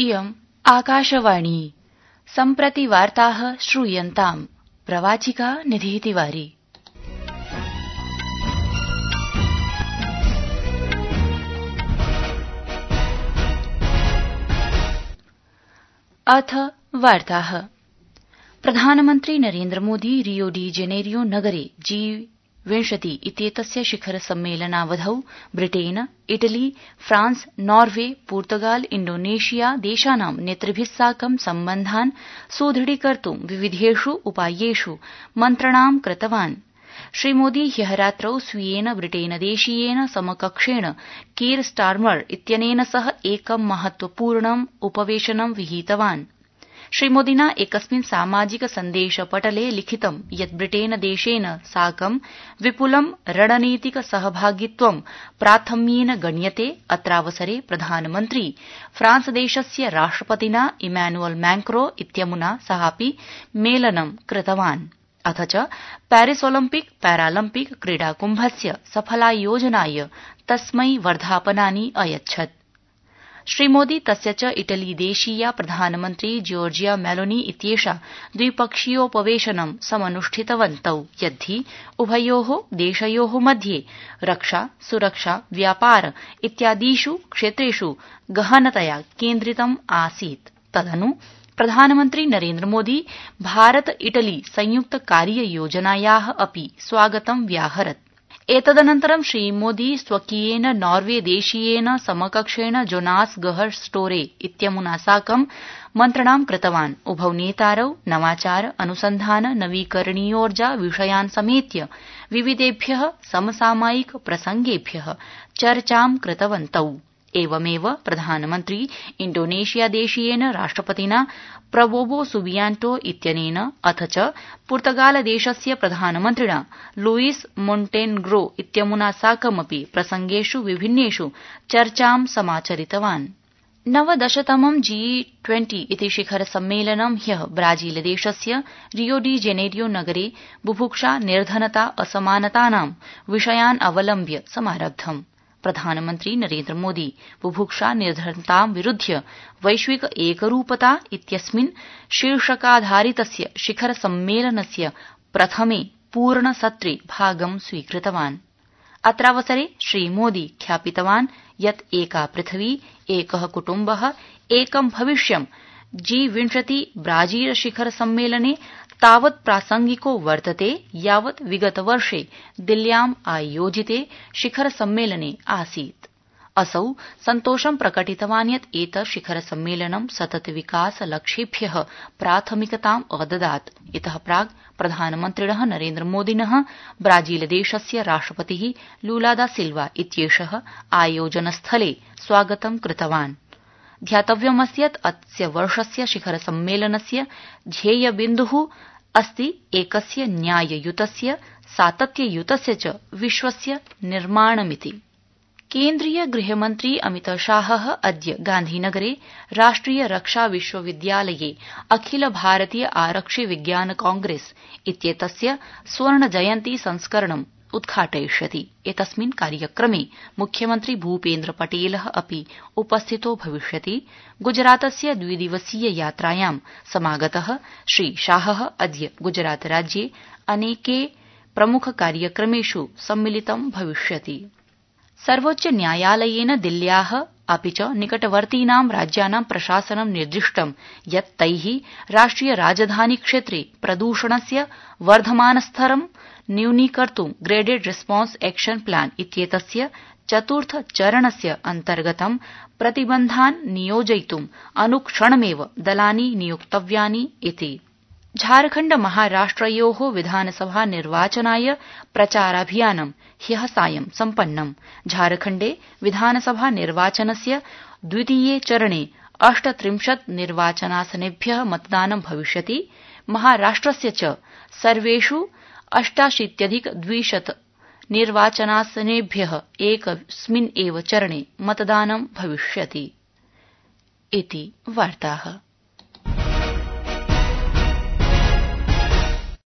इयम् आकाशवाणी सम्प्रति वार्ताः श्रूयन्ताम् प्रवाचिका निधिः तिवारी। अथ वार्ताः। प्रधानमन्त्री Narendra Modi Rio de Janeiro नगरे G20 इत्येतस्य शिखर सम्मेलनावधौ ब्रिटेन, इटली, फ्रांस, नॉर्वे, पुर्तगाल, इण्डोनेशिया देशानां नेतृभिः साकं सम्बन्धान् सुदृढीकर्तुं विविधेषु उपायेषु मन्त्रणां कृतवान्। श्रीमोदी ह्यः रात्रौ स्वीयेन ब्रिटेनदेशीयेन समकक्षेण कीर स्टार्मर इत्यनेन सह एकं महत्वपूर्णम् उपवेशनं विहितवान्। श्रीमोदिना एकस्मिन् सामाजिक सन्देशपटले लिखितं यत् ब्रिटेनदेशेन साकं विपुलं रणनीतिक सहभागित्वं प्राथम्येन गण्यते। अत्रावसरे प्रधानमन्त्री फ्रांसदेशस्य राष्ट्रपतिना इमैनुअल मैक्रों इत्यमुना सहापि मेलनं कृतवान्। अथ च पेरिस ओलिम्पिक पैरालम्पिक क्रीडाकुम्भस्य सफलायोजनाय तस्मै वर्धापनानि अयच्छत्। श्रीमोदी तस्य च इटलीदेशीया प्रधानमन्त्री जॉर्जिया मेलोनी इत्येषा द्विपक्षीयोपवेशनं समनुष्ठितवन्तौ यद्धि उभयोः देशयोः मध्ये रक्षा, सुरक्षा, व्यापार इत्यादिषु क्षेत्रेषु गहनतया केन्द्रितम् आसीत्। तदनु प्रधानमन्त्री नरेन्द्र मोदी भारत इटली संयुक्त कार्ययोजनायाः अपि स्वागतं व्याहरत्। एतदनन्तरं श्रीमोदी स्वकीयेन नॉर्वे देशीयेन समकक्षेण जोनास गहर स्टोरे इत्यमुना साकं मन्त्रणां कृतवान्। उभौ नेतारौ नवाचार, अनुसन्धान, नवीकरणीयोर्जा विषयान् समेत्य विविधेभ्यः समसामयिक प्रसंगेभ्यः चर्चां कृतवन्तौ। एवमेव प्रधानमन्त्री इण्डोनेशियादेशीयेन राष्ट्रपतिना प्रबोवो सुबियांटो इत्यनेन अथ च पुर्तगालदेशस्य प्रधानमन्त्रिणा लुईस मोन्टेनेग्रो इत्यमुना साकमपि प्रसंगेषु विभिन्नेषु चर्चां समाचरितवान्। 19तमं G20 इति शिखर सम्मेलनं ह्यः ब्राजीलदेशस्य रियो डी जेनेरियो नगरे बुभुक्षा, निर्धनता, असमानतानां विषयान् अवलम्ब्य समारब्धम्। प्रधानमन्त्री नरेन्द्र मोदी बुभुक्षा, निर्धनतां विरुध्य वैश्विक एकरूपता इत्यस्मिन् शीर्षकाधारितस्य शिखर सम्मेलनस्य प्रथमे पूर्णसत्रे भागं स्वीकृतवान्। अत्रावसरे श्रीमोदी ख्यापितवान् यत् एका पृथिवी, एकः कुटुम्बः, एकं भविष्यं G20 ब्राजील शिखर सम्मेलने तावत् प्रासंगिको वर्तते यावत् विगतवर्षे दिल्ल्याम् आयोजिते शिखर सम्मेलने आसीत्। असौ सन्तोषं प्रकटितवान् यत् एतत् शिखर सम्मेलनं सतत विकास लक्ष्येभ्यः प्राथमिकताम् अददात्। इतः प्राक् प्रधानमन्त्रिणः नरेन्द्र मोदिनः ब्राजीलदेशस्य राष्ट्रपतिः लूला दा सिल्वा इत्येषः आयोजनस्थले स्वागतं कृतवान्। ध्यातव्यमस्ति यत् अस्य वर्षस्य शिखर सम्मेलनस्य ध्येयबिन्दुः अस्ति एकस्य न्याययुतस्य, सातत्ययुतस्य च विश्वस्य निर्माणमिति। केन्द्रीय गृहमन्त्री अमित शाहः अद्य गान्धीनगरे राष्ट्रिय रक्षा विश्वविद्यालये अखिल भारतीय आरक्षि विज्ञान कांग्रेस इत्येतस्य स्वर्ण जयन्ती संस्करणम् उद्घाटयिष्यति। एतस्मिन् कार्यक्रमे मुख्यमन्त्री भूपेन्द्र पटेलः अपि उपस्थितो भविष्यति। गुजरातस्य द्विदिवसीय यात्रायां समागतः श्री शाहः अद्य गुजरात राज्ये अनेके प्रमुख कार्यक्रमेषु सम्मिलितं भविष्यति। सर्वोच्च न्यायालयेन दिल्ल्याः अपि च निकटवर्तीनां राज्यानां प्रशासनं निर्दिष्टं यत् तैः राष्ट्रिय राजधानी क्षेत्रे प्रदूषणस्य वर्धमानस्तरं न्यूनीकर्तुं ग्रेडेड रिस्पॉन्स एक्शन प्लान इत्येतस्य चतुर्थ चरणस्य अन्तर्गतं प्रतिबन्धान् नियोजयितुं अनुक्षणमेव दलानि नियोक्तव्यानि इति। झारखण्ड महाराष्ट्रयोः विधानसभा निर्वाचनाय प्रचाराभियानं ह्यः सायं सम्पन्नम्। झारखण्डे विधानसभा निर्वाचनस्य द्वितीये चरणे 38 निर्वाचनासनेभ्यः मतदानं भविष्यति। महाराष्ट्रस्य च सर्वेषु 88,200 निर्वाचनासनेभ्यः एकस्मिन् एव चरणे मतदानं भविष्यति इति वार्ताः।